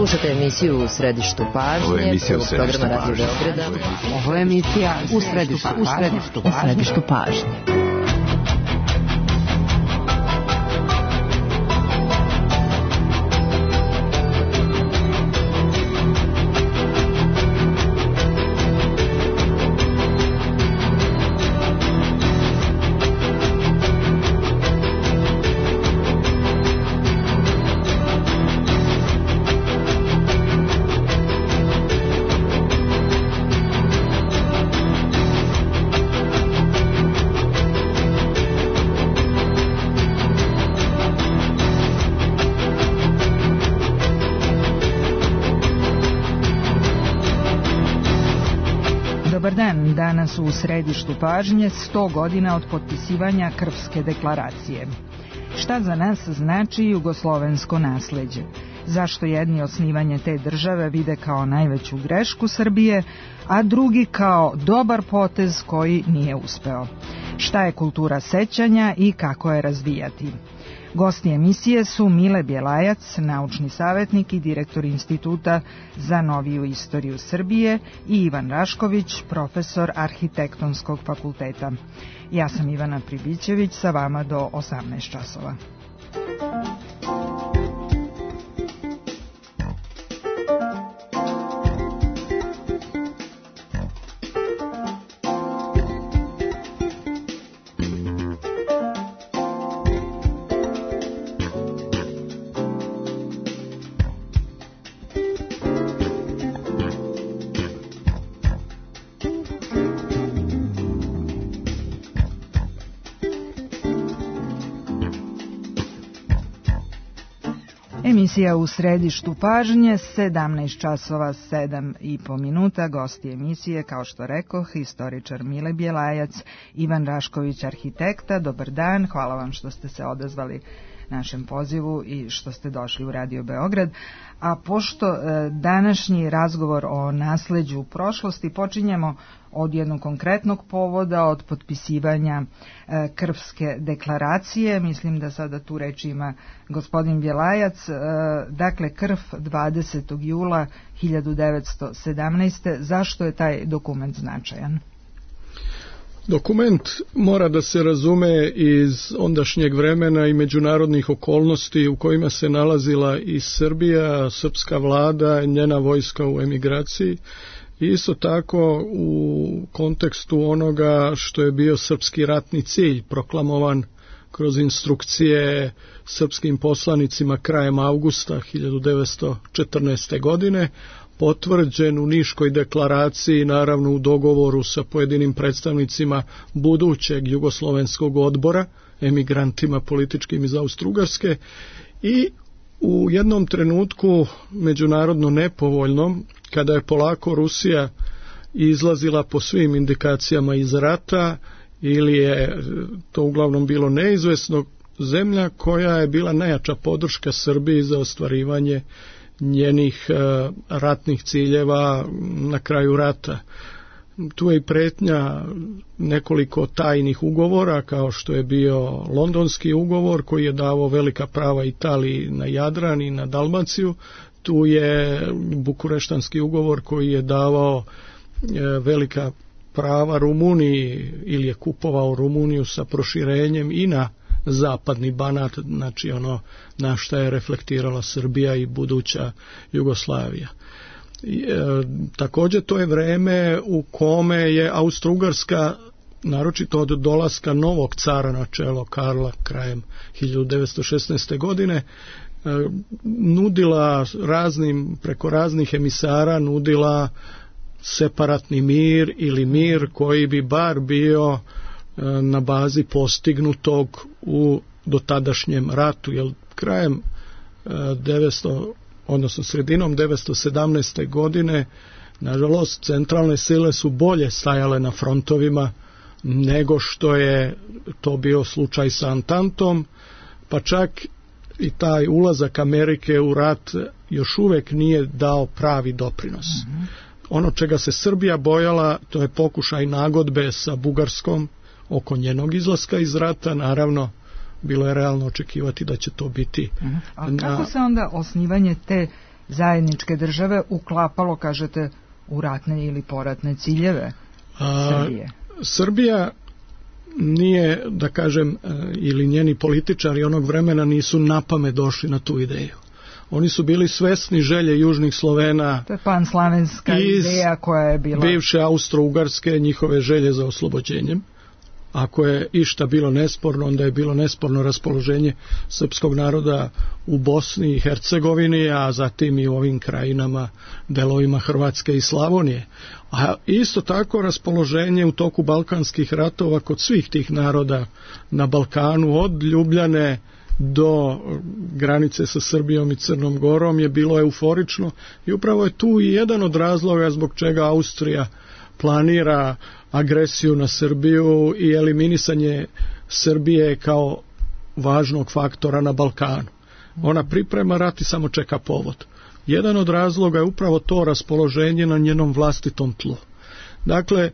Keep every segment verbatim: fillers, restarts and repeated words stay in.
Slušate emisiju U središtu pažnje, prvog programa Radio Beograda. Ovo je emisija U središtu, u središtu, u središtu pažnje. Dobar dan, danas u središtu pažnje sto godina od potpisivanja Krfske deklaracije. Šta za nas znači jugoslovensko nasleđe? Zašto jedni osnivanje te države vide kao najveću grešku Srbije, a drugi kao dobar potez koji nije uspeo? Šta je kultura sećanja i kako je razvijati? Gosti emisije su Mile Bjelajac, naučni savjetnik i direktor Instituta za noviju istoriju Srbije, i Ivan Rašković, profesor Arhitektonskog fakulteta. Ja sam Ivana Pribićević, sa vama do osamnaest časova. Emisija U središtu pažnje, sedamnaest časova sedam i po minuta. Gosti emisije, kao što rekoh, historičar Mile Bjelajac, Ivan Rašković, arhitekta. Dobar dan, hvala vam što ste se odazvali našem pozivu i što ste došli u Radio Beograd. A pošto e, današnji razgovor o nasleđu prošlosti počinjemo od jednog konkretnog povoda, od potpisivanja e, Krfske deklaracije, mislim da sada tu reč ima gospodin Bjelajac, e, dakle Krf dvadesetog jula hiljadu devetsto sedamnaeste. Zašto je taj dokument značajan? Dokument mora da se razume iz ondašnjeg vremena i međunarodnih okolnosti u kojima se nalazila i Srbija, srpska vlada, njena vojska u emigraciji. I isto tako u kontekstu onoga što je bio srpski ratni cilj proklamovan kroz instrukcije srpskim poslanicima krajem avgusta hiljadu devetsto četrnaeste. godine, potvrđen u Niškoj deklaraciji, naravno u dogovoru sa pojedinim predstavnicima budućeg jugoslovenskog odbora, emigrantima političkim iz Austro-Ugarske, i u jednom trenutku međunarodno nepovoljnom, kada je polako Rusija izlazila po svim indikacijama iz rata, ili je to uglavnom bilo neizvesno, zemlja koja je bila najjača podrška Srbiji za ostvarivanje njenih uh, ratnih ciljeva na kraju rata. Tu je i pretnja nekoliko tajnih ugovora, kao što je bio Londonski ugovor koji je davao velika prava Italiji na Jadran i na Dalmaciju. Tu je Bukureštanski ugovor koji je davao uh, velika prava Rumuniji, ili je kupovao Rumuniju sa proširenjem i na zapadni Banat, znači ono na šta je reflektirala Srbija i buduća Jugoslavija. I, e, također to je vreme u kome je Austro-Ugarska, naročito od dolaska novog cara na čelo Karla krajem hiljadu devetsto šesnaeste. godine, e, nudila raznim, preko raznih emisara nudila separatni mir ili mir koji bi bar bio na bazi postignutog u dotadašnjem ratu, jer krajem devetsto, odnosno sredinom devetsto sedamnaeste. godine, nažalost, centralne sile su bolje stajale na frontovima nego što je to bio slučaj sa Antantom, pa čak i taj ulazak Amerike u rat još uvijek nije dao pravi doprinos. Mm-hmm. Ono čega se Srbija bojala, to je pokušaj nagodbe sa Bugarskom oko njenog izlaska iz rata. Naravno, bilo je realno očekivati da će to biti. Uh-huh. A kako na... se onda osnivanje te zajedničke države uklapalo, kažete, u ratne ili poratne ciljeve Srbije? A, Srbija nije, da kažem, ili njeni političari onog vremena nisu napamet došli na tu ideju. Oni su bili svesni želje južnih Slovena. To je panslavenska ideja koja je bila bivše Austro-Ugarske, njihove želje za oslobođenjem. Ako je išta bilo nesporno, onda je bilo nesporno raspoloženje srpskog naroda u Bosni i Hercegovini, a zatim i u ovim krajinama, delovima Hrvatske i Slavonije. A isto tako raspoloženje u toku balkanskih ratova kod svih tih naroda na Balkanu, od Ljubljane do granice sa Srbijom i Crnom Gorom, je bilo euforično i upravo je tu i jedan od razloga zbog čega Austrija planira agresiju na Srbiju i eliminisanje Srbije kao važnog faktora na Balkanu. Ona priprema rat i samo čeka povod. Jedan od razloga je upravo to raspoloženje na njenom vlastitom tlu. Dakle,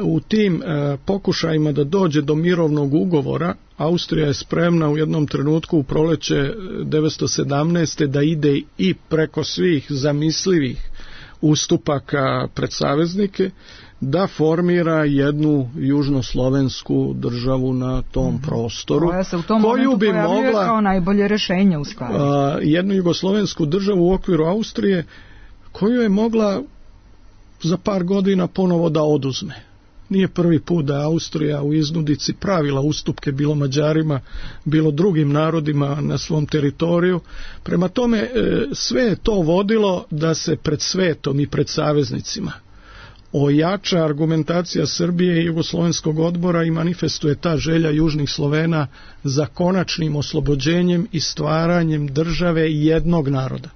u tim e, pokušajima da dođe do mirovnog ugovora, Austrija je spremna u jednom trenutku u proleće devetsto sedamnaeste. da ide i preko svih zamislivih ustupaka pred saveznike, da formira jednu južnoslovensku državu na tom mm-hmm. prostoru, koja se u tom koju bi mogla kao najbolje rješenje u stvari. A, jednu jugoslovensku državu u okviru Austrije, koju je mogla za par godina ponovo da oduzme. Nije prvi put da je Austrija u iznudici pravila ustupke bilo Mađarima, bilo drugim narodima na svom teritoriju. Prema tome, sve je to vodilo da se pred svetom i pred saveznicima ojača argumentacija Srbije i Jugoslovenskog odbora i manifestuje ta želja južnih Slovena za konačnim oslobođenjem i stvaranjem države jednog naroda.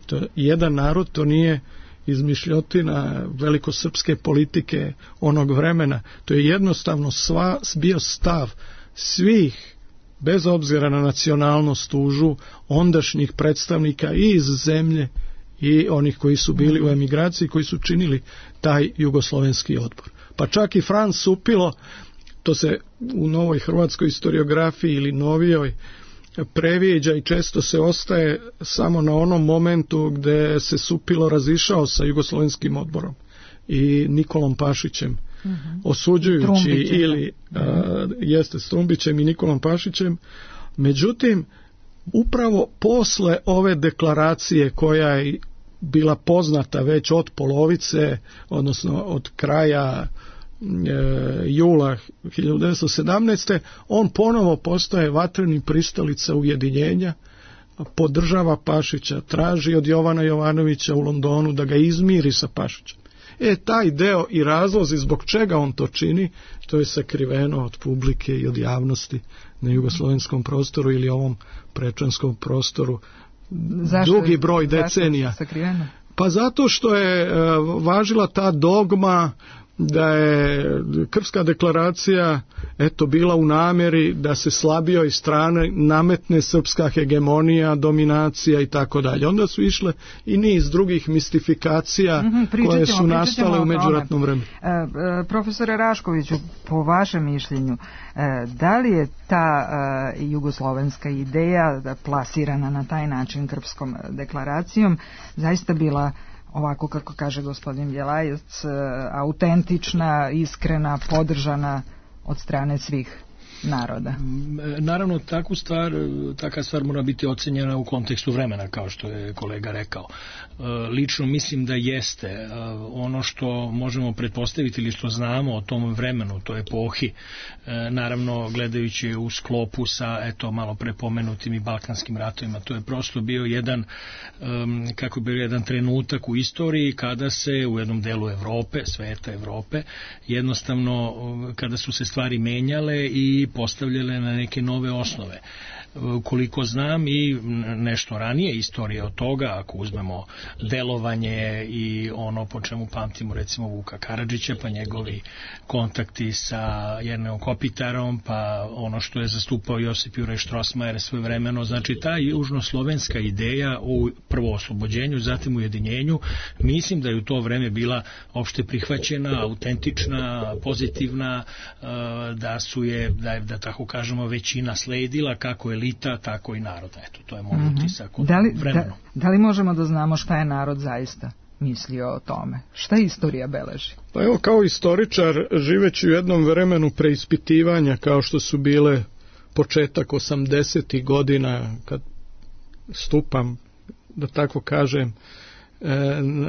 To je jedan narod, to nije izmišljotina velikosrpske politike onog vremena. To je jednostavno sva, bio stav svih, bez obzira na nacionalnost, tužu, ondašnjih predstavnika i iz zemlje i onih koji su bili u emigraciji, koji su činili taj jugoslovenski odbor. Pa čak i Franz Supilo, to se u novoj hrvatskoj historiografiji ili novijoj previđa i često se ostaje samo na onom momentu gde se Supilo razišao sa jugoslovenskim odborom i Nikolom Pašićem, uh-huh. osuđujući Trumbićem. ili a, jeste s Trumbićem i Nikolom Pašićem. Međutim, upravo posle ove deklaracije koja je bila poznata već od polovice, odnosno od kraja jula hiljadu devetsto sedamnaeste. on ponovo postaje vatreni pristalica ujedinjenja, podržava Pašića, traži od Jovana Jovanovića u Londonu da ga izmiri sa Pašićem. E, taj deo i razlozi zbog čega on to čini, to je sakriveno od publike i od javnosti na jugoslovenskom prostoru ili ovom prečanskom prostoru. Zašto dugi broj decenija. Pa zato što je važila ta dogma da je Krfska deklaracija eto bila u namjeri da se slabijoj strane nametne srpska hegemonija, dominacija i tako dalje. Onda su išle i niz drugih mistifikacija mm-hmm, koje su nastale u međuratnom vremenu. E, e, profesore Raškoviću, po vašem mišljenju, e, da li je ta e, jugoslovenska ideja plasirana na taj način Krfskom deklaracijom zaista bila, ovako kako kaže gospodin Bjelajac, autentična, iskrena, podržana od strane svih naroda? Naravno, takvu stvar, taka stvar mora biti ocenjena u kontekstu vremena, kao što je kolega rekao. Lično mislim da jeste. Ono što možemo pretpostaviti ili što znamo o tom vremenu, toj epohi, naravno gledajući u sklopu sa eto malo prepomenutim i balkanskim ratovima, to je prosto bio jedan, kako bi bio jedan trenutak u istoriji kada se u jednom delu Evrope, sveta Evrope, jednostavno kada su se stvari menjale i postavljale na neke nove osnove. Koliko znam i nešto ranije istorije od toga, ako uzmemo delovanje i ono po čemu pamtimo recimo Vuka Karadžića, pa njegovi kontakti sa Jerneom Kopitarom, pa ono što je zastupao Josip Juraj Štrosmajer svojevremeno, znači ta južnoslovenska ideja u prvo oslobođenju, zatim ujedinjenju, mislim da je u to vreme bila opšte prihvaćena, autentična, pozitivna, da su je, da je, da tako kažemo, većina sledila, kako je elita, tako i naroda. Eto, to je moj mm-hmm. utisak od da li, vremenu. Da, da li možemo da znamo šta je narod zaista mislio o tome? Šta istorija beleži? Pa evo, kao istoričar, živeći u jednom vremenu preispitivanja, kao što su bile početak osamdesetih godina, kad stupam, da tako kažem,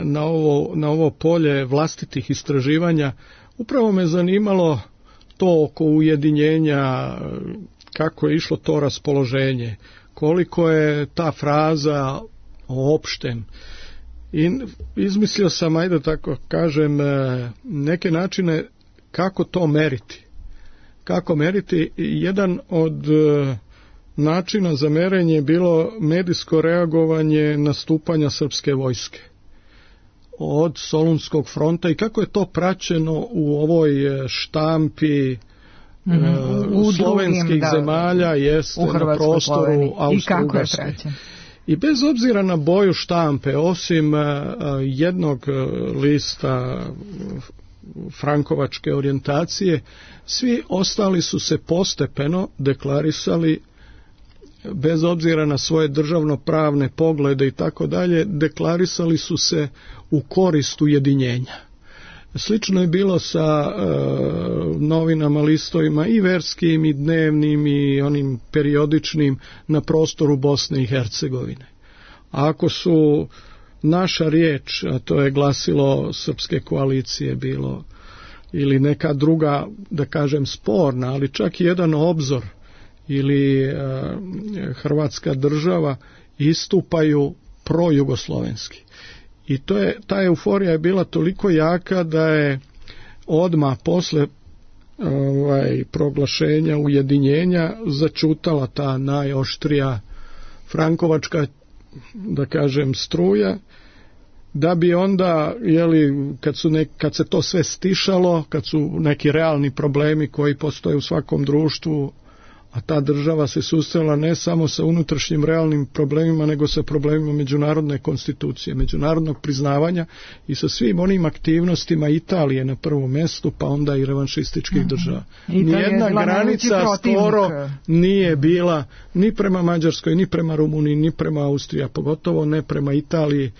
na ovo, na ovo polje vlastitih istraživanja, upravo me zanimalo to oko ujedinjenja, kako je išlo to raspoloženje, koliko je ta fraza opšten. I izmislio sam, ajde tako kažem, neke načine kako to meriti. Kako meriti? Jedan od načina za merenje je bilo medijsko reagovanje nastupanja srpske vojske od Solunskog fronta i kako je to praćeno u ovoj štampi mm-hmm. uh, slovenskih drugim, zemalja, da, jeste na prostoru Austro-Ugarske. I bez obzira na boju štampe, osim uh, jednog lista frankovačke orijentacije, svi ostali su se postepeno deklarisali, bez obzira na svoje državno-pravne poglede i tako dalje, deklarisali su se u korist ujedinjenja. Slično je bilo sa e, novinama, listovima i verskim i dnevnim i onim periodičnim na prostoru Bosne i Hercegovine. A ako su naša riječ, a to je glasilo Srpske koalicije bilo, ili neka druga, da kažem, sporna, ali čak i jedan obzor ili e, Hrvatska država istupaju projugoslovenski. I to je, ta euforija je bila toliko jaka da je odmah posle ovaj, proglašenja ujedinjenja začutala ta najoštrija frankovačka, da kažem, struja, da bi onda, jeli, kad, su nek, kad se to sve stišalo, kad su neki realni problemi koji postoje u svakom društvu, a ta država se susrela ne samo sa unutrašnjim realnim problemima, nego sa problemima međunarodne konstitucije, međunarodnog priznavanja i sa svim onim aktivnostima Italije na prvom mjestu, pa onda i revanšističkih mm-hmm. država. Nijedna granica skoro nije bila ni prema Mađarskoj, ni prema Rumuniji, ni prema Austriji, pogotovo ne prema Italiji,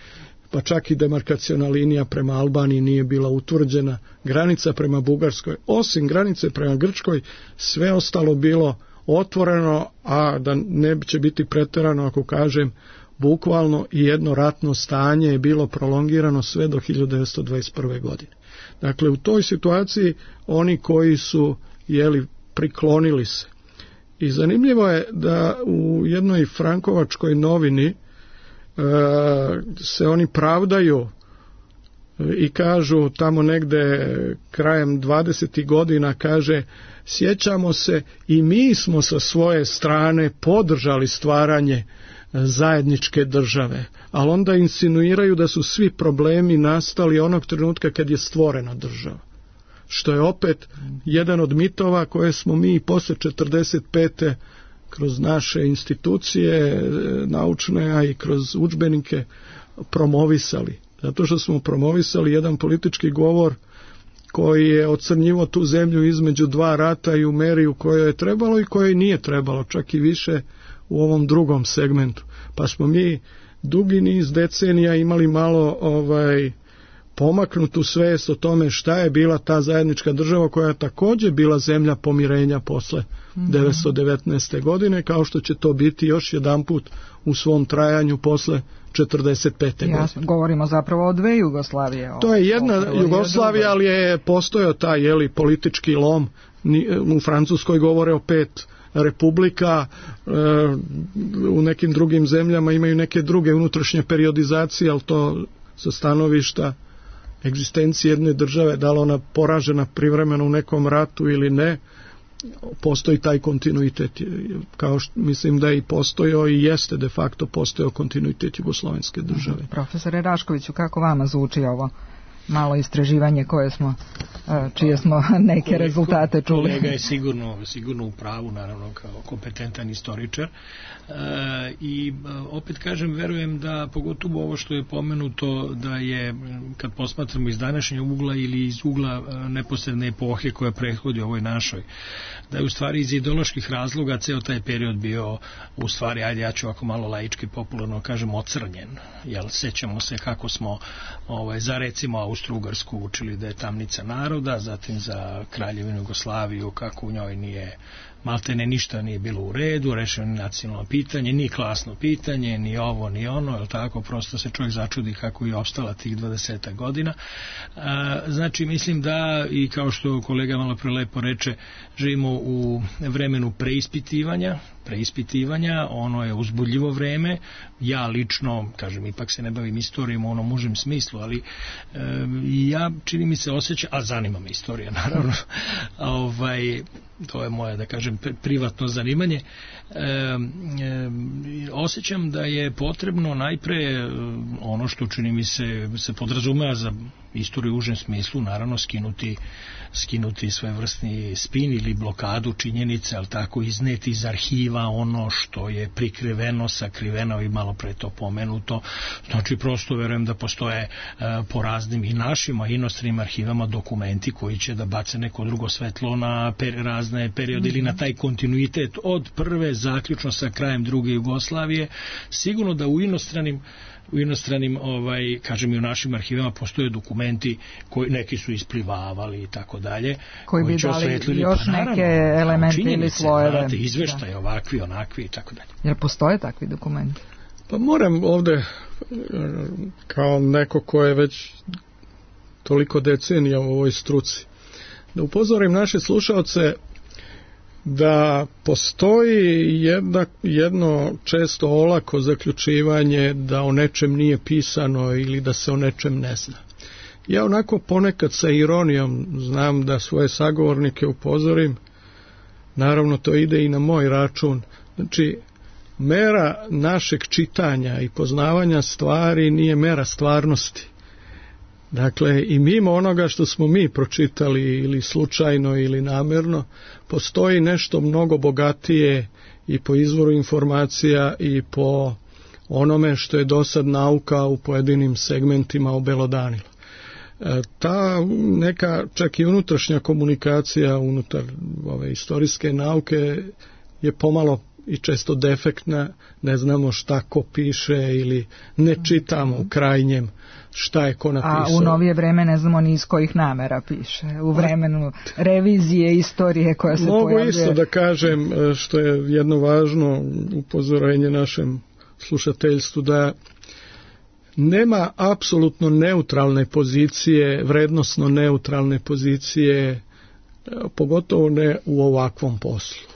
pa čak i demarkaciona linija prema Albaniji nije bila utvrđena, granica prema Bugarskoj, osim granice prema Grčkoj, sve ostalo bilo otvoreno, a da ne će biti pretjerano ako kažem, bukvalno i jedno ratno stanje je bilo prolongirano sve do hiljadu devetsto dvadeset prve. godine. Dakle, u toj situaciji oni koji su, jeli, priklonili se. I zanimljivo je da u jednoj frankovačkoj novini e, se oni pravdaju i kažu tamo negde krajem dvadesetih godina, kaže, sjećamo se i mi smo sa svoje strane podržali stvaranje zajedničke države, ali onda insinuiraju da su svi problemi nastali onog trenutka kad je stvorena država. Što je opet jedan od mitova koje smo mi posle četrdeset pete kroz naše institucije naučne, a i kroz udžbenike promovisali. Zato što smo promovisali jedan politički govor koji je ocrnjivo tu zemlju između dva rata i u meri u kojoj je trebalo i kojoj nije trebalo, čak i više u ovom drugom segmentu. Pa smo mi dugi niz decenija imali malo ovaj pomaknutu svest o tome šta je bila ta zajednička država koja je također bila zemlja pomirenja posle mm-hmm. devetsto devetnaeste. godine, kao što će to biti još jedanput u svom trajanju posle četrdeset pete. Jasno, govorimo zapravo o dve Jugoslavije. To je jedna o, Jugoslavija, ali je postojao taj, jeli, politički lom. U Francuskoj govore o pet republika, u nekim drugim zemljama imaju neke druge unutrašnje periodizacije, ali to sa stanovišta egzistencije jedne države, da li ona poražena privremeno u nekom ratu ili ne, postoji taj kontinuitet, kao što mislim da je i postojao i jeste de facto postojao kontinuitet jugoslovenske države. Profesore Raškoviću, kako vama zvuči ovo? malo istraživanje koje smo, čije smo neke kolega, rezultate čuli. Kolega je sigurno, sigurno u pravu, naravno kao kompetentan istoričar. E, I opet kažem, verujem da pogotovo ovo što je pomenuto, da je, kad posmatramo iz današnjeg ugla ili iz ugla neposredne epohe koja prethodi ovoj našoj, da je u stvari iz ideoloških razloga ceo taj period bio u stvari, ajde ja ću ovako malo laički popularno kažem, ocrnjen. Jel, sećamo se kako smo ovaj, za recimo Austro-Ugarsku učili da je tamnica naroda, zatim za Kraljevinu Jugoslaviju kako u njoj nije maltene ništa nije bilo u redu, rešeno ni nacionalno pitanje, ni klasno pitanje, ni ovo, ni ono, jel tako, prosto se čovjek začudi kako je opstala tih dvadeset godina. A, znači, mislim da, i kao što kolega malo pre lepo reče, živimo u vremenu preispitivanja, preispitivanja, ono je uzbudljivo vreme. Ja lično, kažem, ipak se ne bavim istorijom u onom užem smislu, ali e, ja, čini mi se, osjećam, a zanima me istorija, naravno, ovaj, to je moje, da kažem, privatno zanimanje, e, e, osjećam da je potrebno najpre ono što, čini mi se, se podrazumeva za istoriju u užem smislu, naravno skinuti skinuti svojevrsni spin ili blokadu činjenice, ali tako izneti iz arhiva ono što je prikriveno, sakriveno i malo pre to pomenuto. Znači, prosto verujem da postoje e, po raznim i našim, a inostranim arhivama dokumenti koji će da bace neko drugo svetlo na per, razne periode ili na taj kontinuitet od prve zaključno sa krajem druge Jugoslavije. Sigurno da u inostranim u inostranim, ovaj, kažem i u našim arhivama postoje dokumenti koji neki su isplivavali i tako dalje. Koji bi dali još pa, naravno, neke elemente ili slojeve. Izveštaje da. Ovakvi, onakvi i tako dalje. Jer postoje takvi dokumenti? Pa moram ovde, kao neko ko je već toliko decenija u ovoj struci, da upozorim naše slušaoce da postoji jedna, jedno često olako zaključivanje da o nečem nije pisano ili da se o nečem ne zna. Ja onako ponekad sa ironijom znam da svoje sagovornike upozorim, naravno to ide i na moj račun, znači mera našeg čitanja i poznavanja stvari nije mera stvarnosti. Dakle, i mimo onoga što smo mi pročitali ili slučajno ili namerno, postoji nešto mnogo bogatije i po izvoru informacija i po onome što je dosad nauka u pojedinim segmentima obelodanila. E, ta neka čak i unutrašnja komunikacija unutar ove istorijske nauke je pomalo i često defektna, ne znamo šta ko piše ili ne čitamo u krajnjem šta je ko napisao. A u novije vreme ne znamo ni iz kojih namera piše. U vremenu revizije istorije koja se mogu pojavljuje. Mogu isto da kažem, što je jedno važno upozorenje našem slušateljstvu, da nema apsolutno neutralne pozicije, vrednosno neutralne pozicije, pogotovo ne u ovakvom poslu.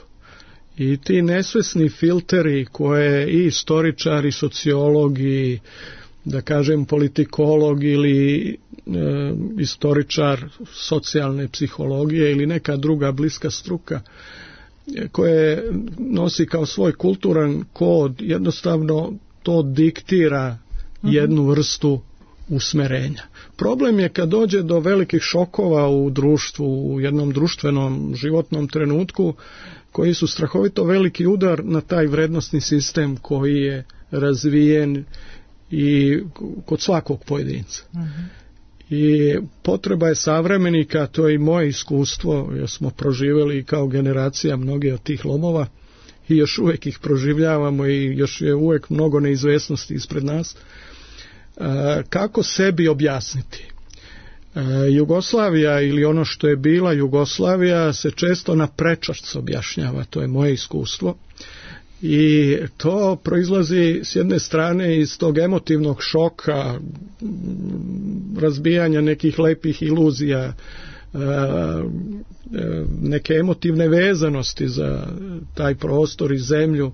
I ti nesvesni filteri koje i istoričari, sociologi, da kažem politikolog ili e, istoričar socijalne psihologije ili neka druga bliska struka koje nosi kao svoj kulturan kod, jednostavno to diktira jednu vrstu usmerenja. Problem je kad dođe do velikih šokova u društvu, u jednom društvenom životnom trenutku, koji su strahovito veliki udar na taj vrednosni sistem koji je razvijen i kod svakog pojedinca. Uh-huh. I potreba je savremenika, to je i moje iskustvo, jer smo proživjeli kao generacija mnoge od tih lomova i još uvijek ih proživljavamo i još je uvijek mnogo neizvesnosti ispred nas. E, kako sebi objasniti? E, Jugoslavija ili ono što je bila Jugoslavija se često na prečac objašnjava, to je moje iskustvo. I to proizlazi s jedne strane iz tog emotivnog šoka, razbijanja nekih lepih iluzija, neke emotivne vezanosti za taj prostor i zemlju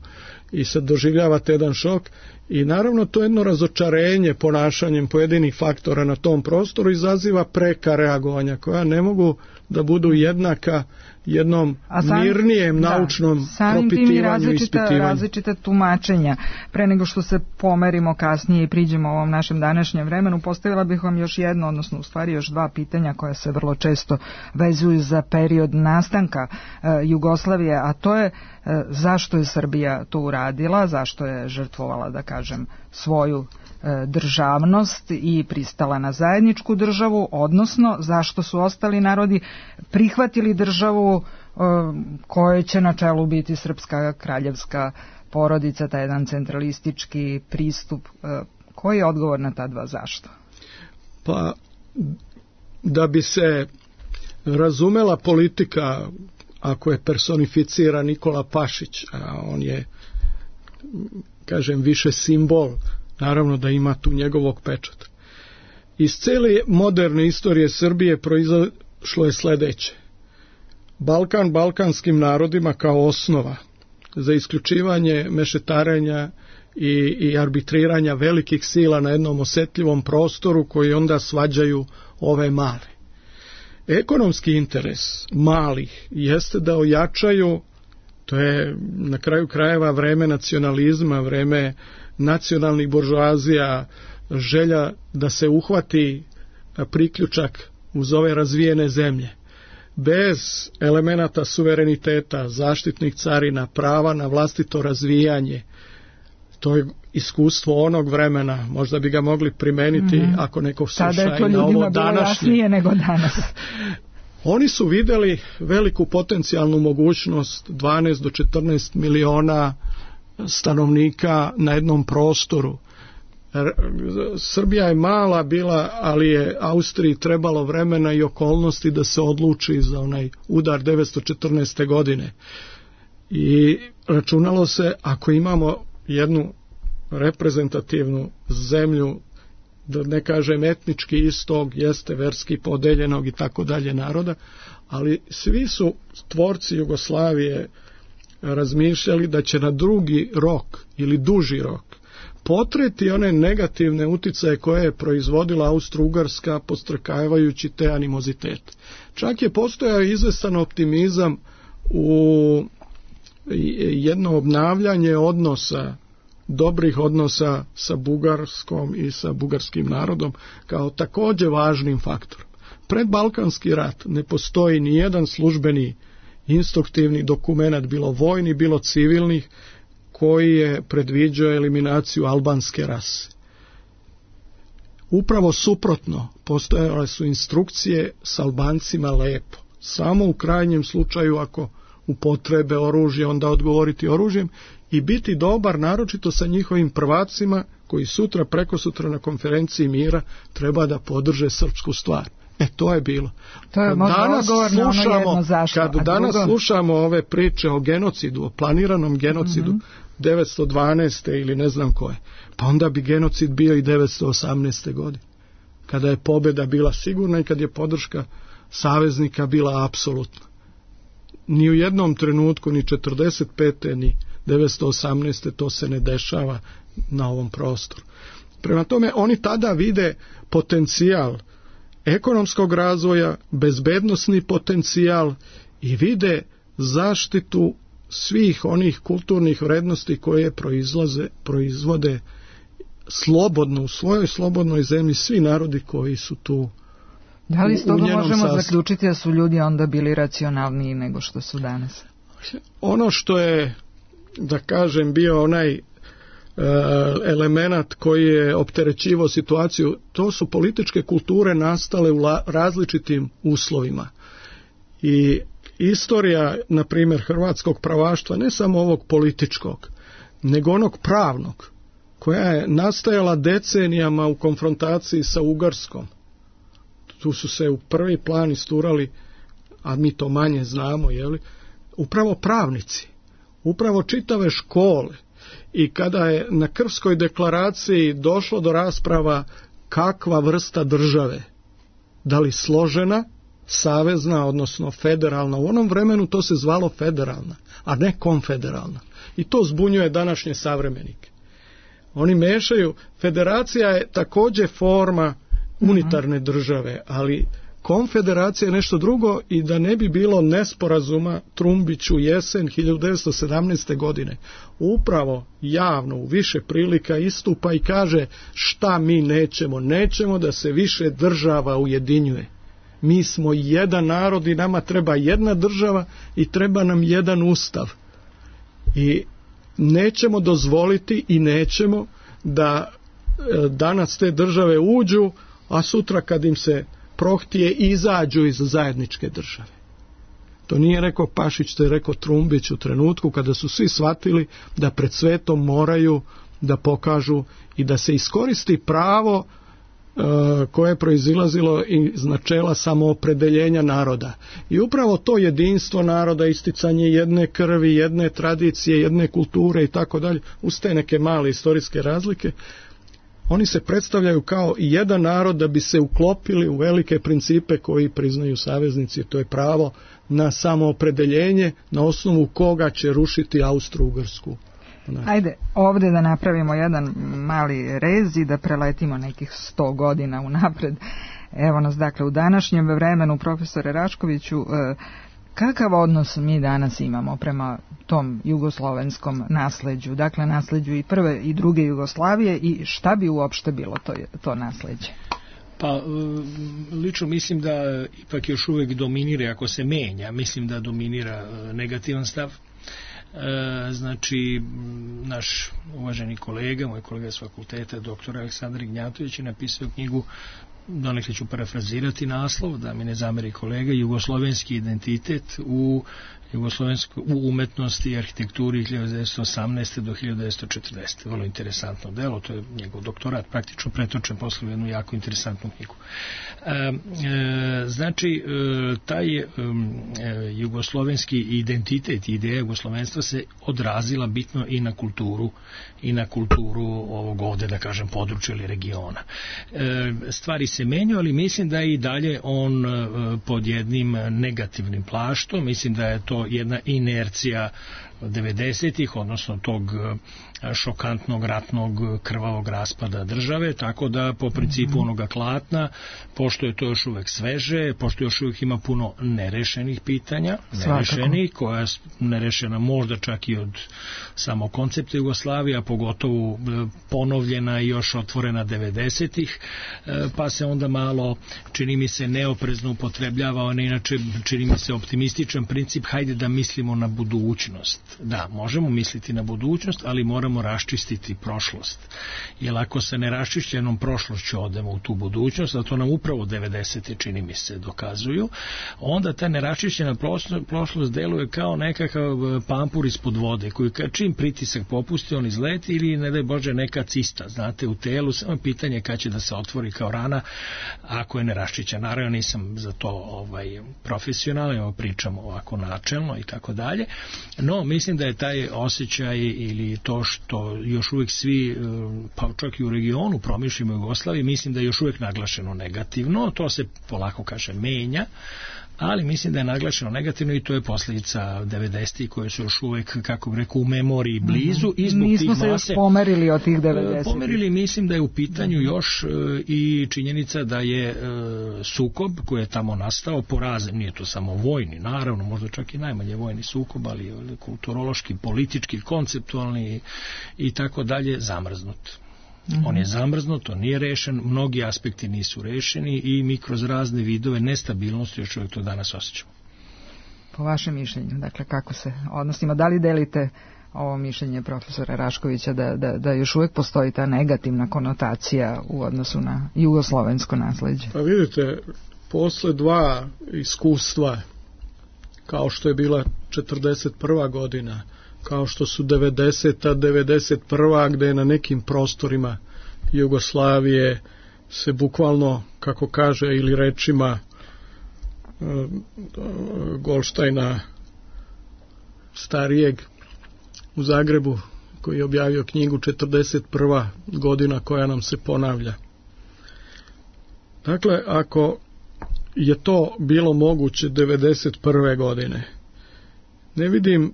i sad doživljavate jedan šok i naravno to jedno razočarenje ponašanjem pojedinih faktora na tom prostoru izaziva preka reagovanja koja ne mogu da budu jednaka jednom sam, mirnijem da, naučnom propitivanju i ispitivanju. Različita tumačenja. Pre nego što se pomerimo kasnije i priđemo ovom našem današnjem vremenu, postavila bih vam još jedno, odnosno u stvari još dva pitanja koja se vrlo često vezuju za period nastanka e, Jugoslavije, a to je e, zašto je Srbija to uradila, zašto je žrtvovala, da kažem, svoju državnost i pristala na zajedničku državu, odnosno zašto su ostali narodi prihvatili državu kojoj će na čelu biti srpska kraljevska porodica, taj jedan centralistički pristup. Koji je odgovor na ta dva zašto? Pa, da bi se razumela politika, ako je personificira Nikola Pašić, a on je, kažem, više simbol, naravno da ima tu njegovog pečata. Iz cele moderne istorije Srbije proizašlo je sledeće. Balkan balkanskim narodima kao osnova za isključivanje mešetarenja i, i arbitriranja velikih sila na jednom osetljivom prostoru koji onda svađaju ove male. Ekonomski interes malih jeste da ojačaju, to je na kraju krajeva vreme nacionalizma, vreme nacionalnih buržoazija, želja da se uhvati priključak uz ove razvijene zemlje. Bez elemenata suvereniteta, zaštitnih carina, prava na vlastito razvijanje, to je iskustvo onog vremena, možda bi ga mogli primeniti mm-hmm. ako neko sluša i na ovo današnje. Nego danas. Oni su videli veliku potencijalnu mogućnost dvanaest do četrnaest miliona stanovnika na jednom prostoru. Srbija je mala bila, ali je Austriji trebalo vremena i okolnosti da se odluči za onaj udar devetsto četrnaeste. godine. I računalo se, ako imamo jednu reprezentativnu zemlju, da ne kažem etnički istog, jeste verski podeljenog i tako dalje naroda, ali svi su tvorci Jugoslavije razmišljali da će na drugi rok ili duži rok potreti one negativne uticaje koje je proizvodila Austro-Ugarska podstrekavajući te animozitete. Čak je postojao izvestan optimizam u jedno obnavljanje odnosa, dobrih odnosa sa Bugarskom i sa bugarskim narodom kao takođe važnim faktorom. Pred Balkanski rat ne postoji ni jedan službeni instruktivni dokument, bilo vojni, bilo civilnih, koji je predviđao eliminaciju albanske rase. Upravo suprotno, postojale su instrukcije s Albancima lepo. Samo u krajnjem slučaju, ako upotrebe oružje, onda odgovoriti oružjem i biti dobar, naročito sa njihovim prvacima, koji sutra, preko sutra na konferenciji mira treba da podrže srpsku stvar. E, to je bilo. To je danas slušamo, kad danas drugo? slušamo ove priče o genocidu, o planiranom genocidu mm-hmm. devetsto dvanaeste. ili ne znam koje, pa onda bi genocid bio i devetsto osamnaeste. godine, kada je pobjeda bila sigurna i kad je podrška saveznika bila apsolutna. Ni u jednom trenutku, ni četrdeset pete ni devetsto osamnaeste. to se ne dešava na ovom prostoru. Prema tome, oni tada vide potencijal ekonomskog razvoja, bezbednosni potencijal i vide zaštitu svih onih kulturnih vrednosti koje proizlaze, proizvode slobodno, u svojoj slobodnoj zemlji svi narodi koji su tu. Da li s toga možemo sastavu zaključiti da su ljudi onda bili racionalniji nego što su danas? Ono što je, da kažem, bio onaj element koji je opterećivao situaciju, to su političke kulture nastale u različitim uslovima. I istorija, na primjer, hrvatskog pravaštva, ne samo ovog političkog, nego onog pravnog, koja je nastajala decenijama u konfrontaciji sa Ugarskom. Tu su se u prvi plan isturali, a mi to manje znamo, jeli, upravo pravnici, upravo čitave škole. I kada je na Krfskoj deklaraciji došlo do rasprava kakva vrsta države, da li složena savezna, odnosno federalna. U onom vremenu to se zvalo federalna, a ne konfederalna. I to zbunjuje današnje savremenike. Oni mešaju, federacija je također forma unitarne države, ali konfederacija je nešto drugo i da ne bi bilo nesporazuma, Trumbić u jesen hiljadu devetsto sedamnaeste. godine upravo javno u više prilika istupa i kaže šta mi nećemo. Nećemo da se više država ujedinjuje. Mi smo jedan narod i nama treba jedna država i treba nam jedan ustav. I nećemo dozvoliti i nećemo da danas te države uđu, a sutra kad im se prohtije izađu iz zajedničke države. To nije rekao Pašić, to je rekao Trumbić u trenutku kada su svi shvatili da pred svetom moraju da pokažu i da se iskoristi pravo e, koje je proizilazilo iz načela samoopredeljenja naroda. I upravo to jedinstvo naroda, isticanje jedne krvi, jedne tradicije, jedne kulture i tako dalje, uz te neke male istorijske razlike, oni se predstavljaju kao jedan narod da bi se uklopili u velike principe koji priznaju saveznici, to je pravo na samoopredeljenje na osnovu koga će rušiti Austro-Ugarsku. Ajde, ovdje da napravimo jedan mali rez i da preletimo nekih sto godina unapred. Evo nas dakle u današnjem vremenu, profesore Raškoviću, kakav odnos mi danas imamo prema tom jugoslovenskom nasleđu, dakle nasleđu i prve i druge Jugoslavije, i šta bi uopšte bilo to, to nasleđe? Pa, lično mislim da ipak još uvijek dominira, ako se menja, mislim da dominira negativan stav. Znači, naš uvaženi kolega, moj kolega s fakulteta, doktor Aleksandar Ignjatović, je napisao knjigu, donekle ću parafrazirati naslov, da mi ne zameri kolega, Jugoslovenski identitet u, u umetnosti i arhitekturi hiljadu devetsto osamnaeste. do hiljadu devetsto četrdeset. Vrlo interesantno delo, to je njegov doktorat praktično pretočen posle jednu jako interesantnu knjigu. E, e, znači, e, taj e, jugoslovenski identitet i ideja jugoslovenstva se odrazila bitno i na kulturu i na kulturu ovog ovde, da kažem, područja ili regiona. E, stvari se menjaju, ali mislim da je i dalje on e, pod jednim negativnim plaštom. Mislim da je to jedna inercija devedesetih, odnosno tog šokantnog ratnog krvavog raspada države, tako da po principu onoga klatna, pošto je to još uvek sveže, pošto još uvek ima puno nerešenih pitanja, nerešenih, koja je nerešena možda čak i od samog koncepta Jugoslavije, a pogotovo ponovljena i još otvorena devedesetih, pa se onda malo, čini mi se, neoprezno upotrebljava, a ne inače čini mi se optimističan princip, hajde da mislimo na budućnost. Da, možemo misliti na budućnost, ali moramo raščistiti prošlost. Jer ako se ne raščišćenom prošlošću odemo u tu budućnost, a to nam upravo devedesete čini mi se dokazuju, onda ta neraščišćena prošlost deluje kao nekakav pampur ispod vode, koji čim pritisak popusti, on izleti ili, ne daj Bože, neka cista, znate, u telu, samo pitanje kad će da se otvori kao rana ako je neraščišćena. Naravno, nisam za to ovaj, profesionalno, pričam ovako načelno i tako dalje, no mislim da je taj osjećaj ili to što još uvijek svi, pa čak i u regionu promišljamo Jugoslaviji, mislim da je još uvijek naglašeno negativno, to se polako kaže menja, ali mislim da je naglašeno negativno i to je posljedica devedesetih koje su još uvijek, kako bih rekao, u memoriji blizu. I zbog nismo tih se mase, još pomerili od tih devedesetih. Pomerili, mislim da je u pitanju još i činjenica da je sukob koji je tamo nastao porazen, nije to samo vojni, naravno, možda čak i najmanje vojni sukob, ali kulturološki, politički, konceptualni i tako dalje, zamrznut. Mm-hmm. On je zamrznut, to nije rešen, mnogi aspekti nisu rešeni i mi kroz razne vidove nestabilnosti još uvijek to danas osjećamo. Po vašem mišljenju, dakle, kako se odnosimo, da li delite ovo mišljenje profesora Raškovića da, da, da još uvijek postoji ta negativna konotacija u odnosu na jugoslovensko nasleđe? Pa vidite, posle dva iskustva, kao što je bila četrdeset prva godina, kao što su devedeseta, devedeset prva gde je na nekim prostorima Jugoslavije se bukvalno, kako kaže, ili rečima Goldsteina starijeg u Zagrebu, koji je objavio knjigu četrdeset prva godina koja nam se ponavlja. Dakle, ako je to bilo moguće devedeset prve godine. Ne vidim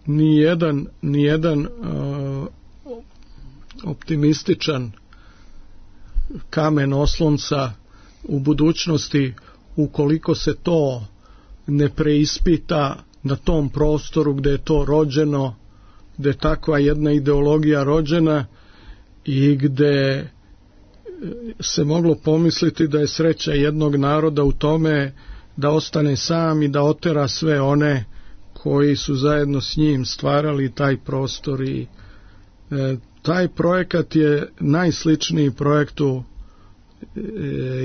ni jedan, ni jedan uh, optimističan kamen oslonca u budućnosti ukoliko se to ne preispita na tom prostoru gde je to rođeno, gde je takva jedna ideologija rođena i gde se moglo pomisliti da je sreća jednog naroda u tome da ostane sam i da otera sve one koji su zajedno s njim stvarali taj prostor i e, taj projekat je najsličniji projektu e,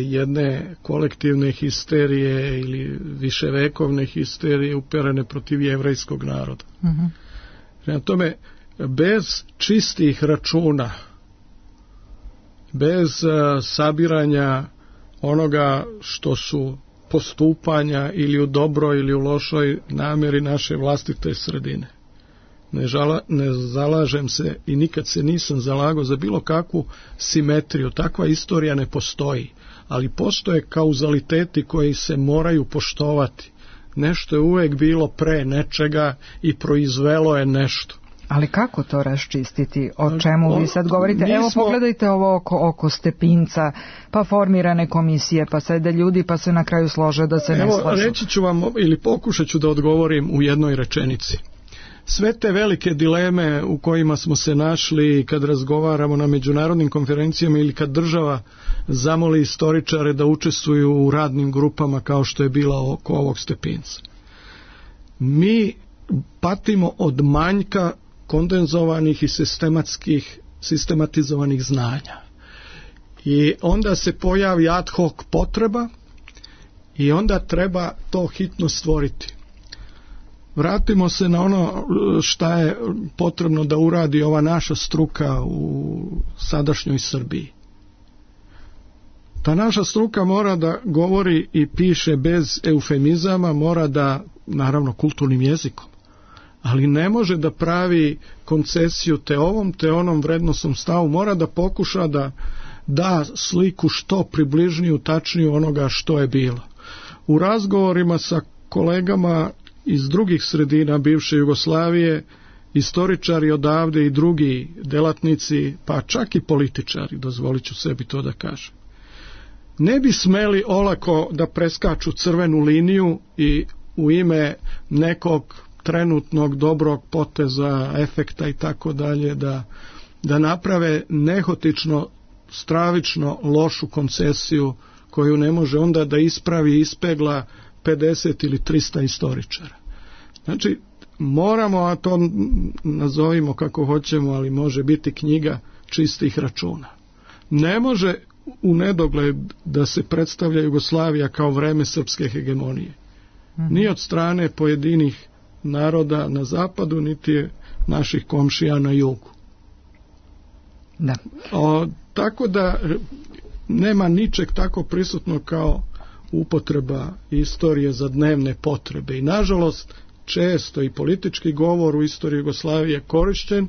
jedne kolektivne histerije ili viševekovne histerije uperene protiv jevrejskog naroda. Mm-hmm. Prema tome, bez čistih računa, bez a, sabiranja onoga što su postupanja ili u dobroj ili u lošoj namjeri naše vlastite sredine. Ne, žala, ne zalažem se i nikad se nisam zalagao za bilo kakvu simetriju. Takva istorija ne postoji, ali postoje kauzaliteti koji se moraju poštovati. Nešto je uvek bilo pre nečega i proizvelo je nešto. Ali kako to raščistiti? O čemu vi sad govorite? Evo smo... pogledajte ovo oko, oko Stepinca, pa formirane komisije, pa sede ljudi, pa se na kraju slože da se Evo, ne slažu. Reći ću vam ili pokušat ću da odgovorim u jednoj rečenici. Sve te velike dileme u kojima smo se našli kad razgovaramo na međunarodnim konferencijama ili kad država zamoli istoričare da učestvuju u radnim grupama kao što je bila oko ovog Stepinca. Mi patimo od manjka kondenzovanih i sistematskih, sistematizovanih znanja. I onda se pojavi ad hoc potreba i onda treba to hitno stvoriti. Vratimo se na ono šta je potrebno da uradi ova naša struka u sadašnjoj Srbiji. Ta naša struka mora da govori i piše bez eufemizama, mora da, naravno, kulturnim jezikom, ali ne može da pravi koncesiju te ovom, te onom vrednosnom stavu, mora da pokuša da da sliku što približniju, tačniju onoga što je bilo. U razgovorima sa kolegama iz drugih sredina bivše Jugoslavije, istoričari odavde i drugi delatnici, pa čak i političari, dozvolit ću sebi to da kažem, ne bi smeli olako da preskaču crvenu liniju i u ime nekog trenutnog dobrog poteza, efekta i tako dalje, da, da naprave nehotično, stravično lošu koncesiju koju ne može onda da ispravi i ispegla pedeset ili trista istoričara. Znači, moramo, a to nazovimo kako hoćemo, ali može biti knjiga čistih računa. Ne može u nedogled da se predstavlja Jugoslavija kao vreme srpske hegemonije. Mm-hmm. Ni od strane pojedinih naroda na zapadu, niti naših komšija na jugu. Da. O, tako da nema ničeg tako prisutno kao upotreba istorije za dnevne potrebe. I nažalost, često i politički govor u istoriji Jugoslavije korišćen,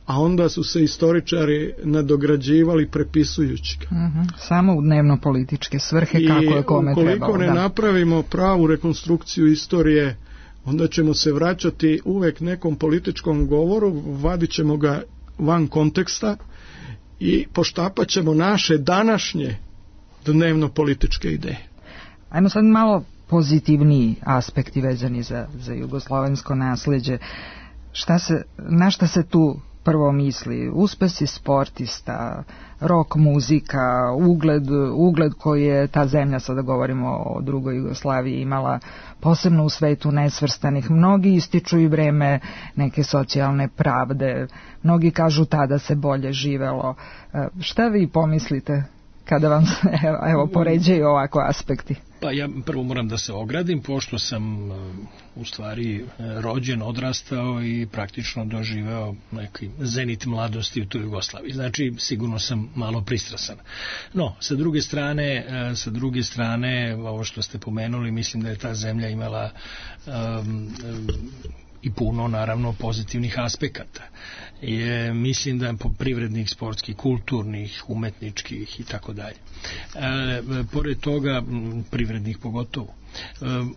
a onda su se istoričari nadograđivali prepisujući ga. Mm-hmm. Samo u dnevno političke svrhe, kako je kome trebalo. I ukoliko ne da. napravimo pravu rekonstrukciju istorije, onda ćemo se vraćati uvek nekom političkom govoru, vadit ćemo ga van konteksta i poštapat ćemo naše današnje dnevno političke ideje. Ajmo sad malo pozitivniji aspekti vezani za, za jugoslovensko nasleđe. Šta se, na šta se tu prvo misli? Uspesi sportista, rock muzika, ugled, ugled koji je ta zemlja, sada govorimo o drugoj Jugoslaviji, imala posebno u svetu nesvrstanih. Mnogi ističu i vreme neke socijalne pravde, mnogi kažu tada se bolje živelo. Šta vi pomislite kada vam se, evo, poređaju ovako aspekti? Pa ja prvo moram da se ogradim, pošto sam u stvari rođen, odrastao i praktično doživeo neki zenit mladosti u toj Jugoslaviji. Znači, sigurno sam malo pristrasan. No, sa druge strane, sa druge strane, ovo što ste pomenuli, mislim da je ta zemlja imala um, i puno naravno pozitivnih aspekata. Je, mislim da po privrednih, sportskih, kulturnih, umetničkih i tako dalje. Pored toga, privrednih pogotovo.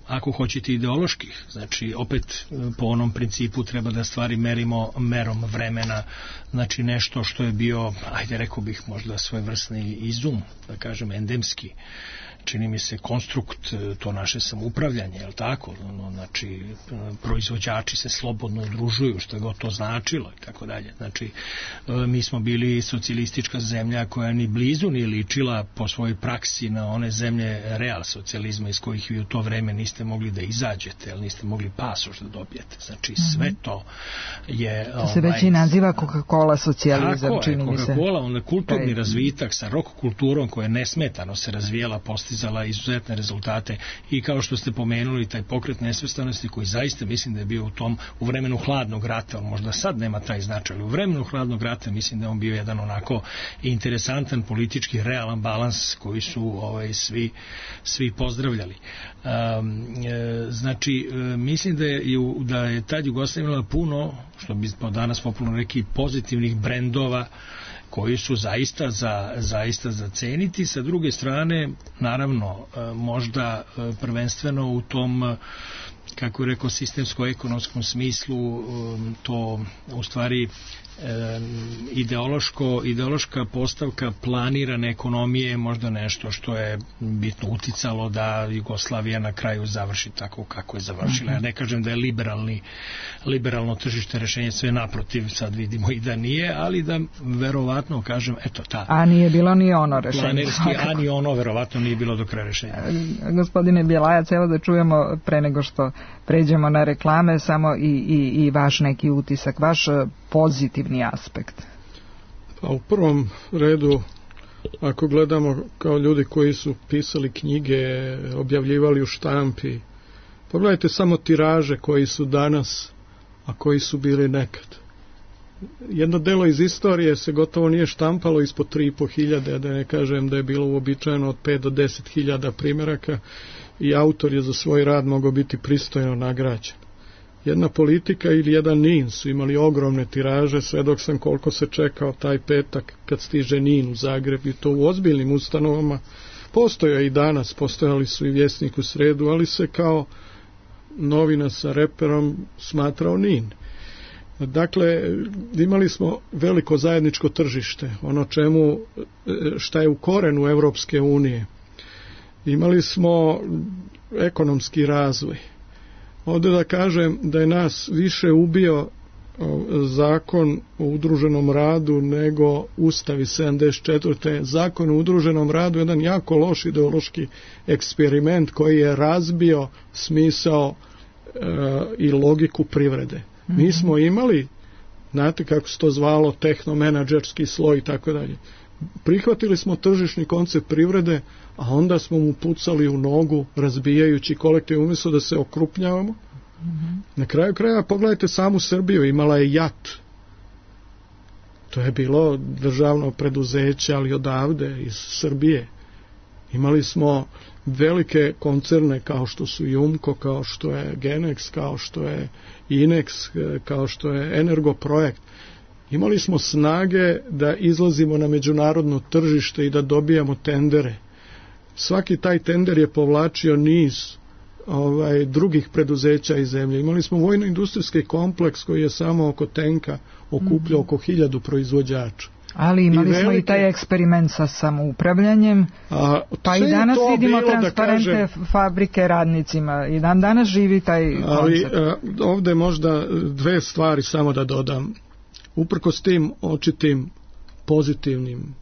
Ako hoćete ideoloških, znači opet po onom principu treba da stvari merimo merom vremena, znači nešto što je bio, ajde rekao bih možda svojevrsni izum, da kažem endemski, čini mi se konstrukt, to naše samoupravljanje, je li tako? Znači, proizvođači se slobodno udružuju, što je god to značilo i tako dalje. Znači, mi smo bili socijalistička zemlja koja ni blizu nije ličila po svojoj praksi na one zemlje real socijalizma iz kojih vi u to vreme niste mogli da izađete, ali niste mogli pasoš da dobijete. Znači, sve to je... To se već i naziva Coca-Cola socijalizam, čini mi se. Tako je, Coca-Cola, onda kulturni razvitak sa rock kulturom koja je nesmetano se razvijala, postizala izuzetne rezultate i kao što ste pomenuli taj pokret nesvrstanosti koji zaista mislim da je bio u tom u vremenu hladnog rata, on možda sad nema taj značaj, ali u vremenu hladnog rata mislim da je on bio jedan onako interesantan politički realan balans koji su ovaj, svi, svi pozdravljali. Um, e, znači e, mislim da je, da je tad Jugoslavija imala puno, što bi danas popularno rekli, pozitivnih brendova koji su zaista za, zaista za ceniti. Sa druge strane, naravno, možda prvenstveno u tom, kako je rekao, sistemsko-ekonomskom smislu, to u stvari ideološko, ideološka postavka planirane ekonomije je možda nešto što je bitno uticalo da Jugoslavija na kraju završi tako kako je završila. Ja ne kažem da je liberalni, liberalno tržište rešenje, sve naprotiv, sad vidimo i da nije, ali da verovatno kažem, eto ta. A nije bilo ni ono rešenje. Planerski, a ni ono verovatno nije bilo do kraja rešenja. Gospodine Bjelajac, evo da čujemo pre nego što pređemo na reklame, samo i, i, i vaš neki utisak, vaš pozitivni aspekt. Pa u prvom redu, ako gledamo kao ljudi koji su pisali knjige, objavljivali u štampi, pogledajte samo tiraže koji su danas, a koji su bili nekad. Jedno delo iz istorije se gotovo nije štampalo ispod tri i po hiljade, da ne kažem da je bilo uobičajeno od pet do deset hiljada primjeraka i autor je za svoj rad mogao biti pristojno nagrađen. Jedna politika ili jedan Nin su imali ogromne tiraže, sve dok sam koliko se čekao taj petak kad stiže Nin u Zagreb, i to u ozbiljnim ustanovama. Postoja i danas, postojali su i Vjesnik u sredu, ali se kao novina sa reperom smatrao Nin. Dakle, imali smo veliko zajedničko tržište, ono čemu, šta je u korenu Evropske unije. Imali smo ekonomski razvoj. Ovdje da kažem da je nas više ubio zakon o udruženom radu nego Ustav iz sedamdeset četvrte. Zakon o udruženom radu je jedan jako loš ideološki eksperiment koji je razbio smisao e, i logiku privrede. Mm-hmm. Mi smo imali, znate kako se to zvalo, tehnomenadžerski sloj i tako dalje. Prihvatili smo tržišni koncept privrede, a onda smo mu pucali u nogu, razbijajući kolektiv, umjesto da se okrupnjavamo. Mm-hmm. Na kraju kraja pogledajte samu Srbiju, imala je JAT. To je bilo državno preduzeće, ali odavde, iz Srbije. Imali smo velike koncerne kao što su Jumko, kao što je Genex, kao što je Inex, kao što je Energoprojekt. Imali smo snage da izlazimo na međunarodno tržište i da dobijamo tendere. Svaki taj tender je povlačio niz ovaj, drugih preduzeća iz zemlje. Imali smo vojno-industrijski kompleks koji je samo oko tenka okupljao oko hiljadu proizvođača. Ali imali I velike, smo i taj eksperiment sa samoupravljanjem, a, pa i danas vidimo transparente kažem, fabrike radnicima i dan danas živi taj koncept. Ali a, ovdje možda dve stvari samo da dodam. Uprkos tim očitim pozitivnim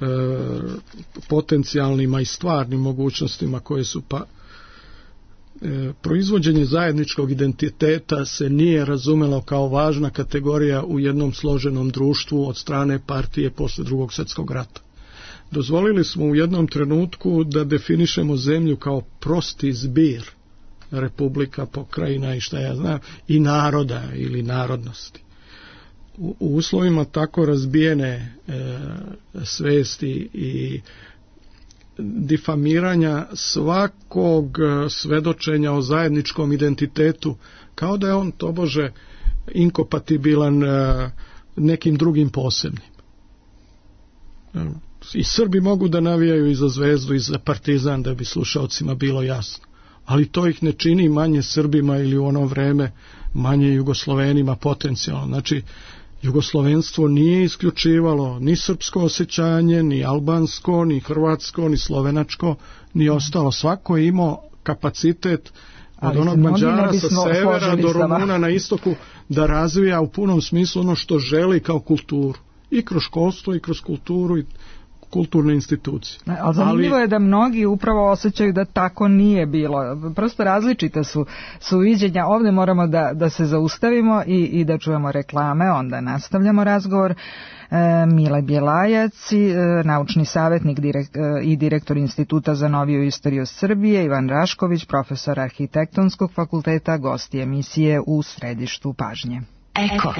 e, potencijalnim i stvarnim mogućnostima koje su pa e, proizvođenje zajedničkog identiteta se nije razumelo kao važna kategorija u jednom složenom društvu od strane partije posle Drugog svjetskog rata. Dozvolili smo u jednom trenutku da definišemo zemlju kao prosti zbir republika, pokrajina i šta ja znam, i naroda ili narodnosti. U uslovima tako razbijene e, svesti i difamiranja svakog svedočenja o zajedničkom identitetu kao da je on tobože inkompatibilan nekim drugim posebnim. I Srbi mogu da navijaju i za Zvezdu i za Partizan, da bi slušalcima bilo jasno, ali to ih ne čini manje Srbima ili u ono vreme manje Jugoslovenima potencijalno. Znači, jugoslovenstvo nije isključivalo ni srpsko osjećanje, ni albansko, ni hrvatsko, ni slovenačko, ni ostalo. Svako je imao kapacitet od onog Mađara sa severa do Rumuna na istoku da razvija u punom smislu ono što želi kao kulturu. I kroz školstvo, i kroz kulturu, i kulturne institucije. Ali zanimljivo je da mnogi upravo osjećaju da tako nije bilo. Prosto različite su, su viđenja. Ovdje moramo da, da se zaustavimo i, i da čujemo reklame, onda nastavljamo razgovor. E, Mile Bjelajac, e, naučni savjetnik direk, e, i direktor Instituta za noviju istoriju Srbije, Ivan Rašković, profesor Arhitektonskog fakulteta, gosti emisije U središtu pažnje. Eko.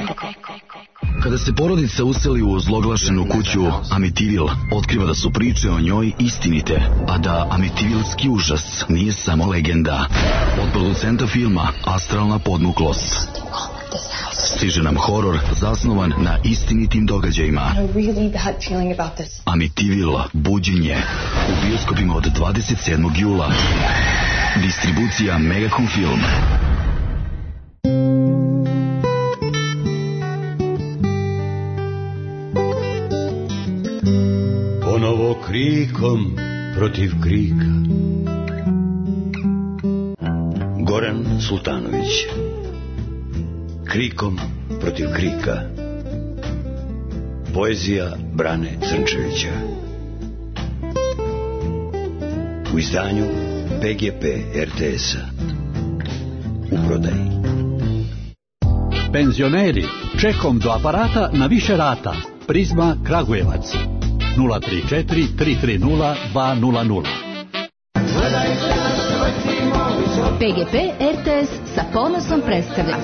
Kada se porodica useli u ozloglašenu kuću Amitivil, otkriva da su priče o njoj istinite, a da Amitivilski užas nije samo legenda. Od producenta filma Astralna podmuklost stiže nam horor zasnovan na istinitim događajima. Amitivil, buđenje, u bioskopima od dvadeset sedmog jula. Distribucija Megacom Film. Ponovo krikom protiv krika. Goran Sultanović. Krikom protiv krika. Poezija Brane Crnčevića. U izdanju P G P R T S-a. U prodaji. Penzioneri, čekom do aparata na više rata. Prizma Kragujevac. nula tri četiri tri tri nula dva nula nula. P G P R T S sa ponosom predstavlja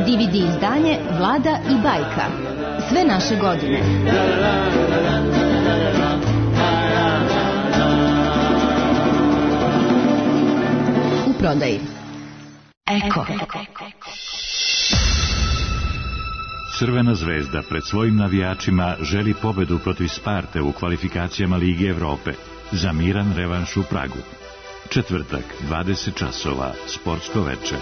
D V D izdanje Vlada i bajka. Sve naše godine. U prodaji. Eko. Crvena zvezda pred svojim navijačima želi pobedu protiv Sparte u kvalifikacijama Lige Evrope za miran revanš u Pragu. Četvrtak, dvadeset časova, sportsko veče.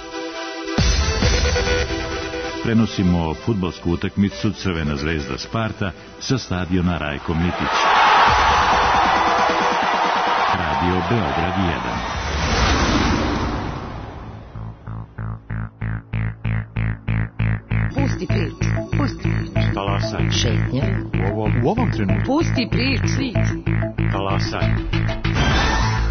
Prenosimo fudbalsku utakmicu Crvena zvezda Sparta sa stadiona Rajko Mitić. Radio Beograd jedan. Pusti priču, pusti priču. Talasaj. Šetnje. U ovom, u ovom trenutku. Pusti priču. Talasaj.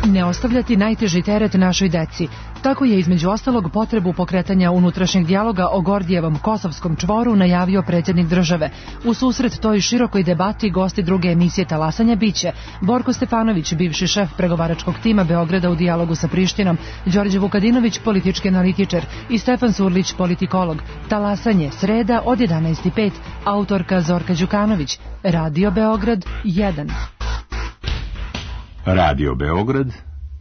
Ne ostavljati najteži teret našoj deci. Tako je između ostalog potrebu pokretanja unutrašnjeg dijaloga o Gordijevom kosovskom čvoru najavio predsjednik države. U susret toj širokoj debati gosti druge emisije Talasanja biće Borko Stefanović, bivši šef pregovaračkog tima Beograda u dijalogu sa Prištinom, Đorđe Vukadinović, politički analitičar, i Stefan Surlić, politikolog. Talasanje, sreda od jedanaest i pet, autorka Zorka Đukanović. Radio Beograd jedan. Radio Beograd,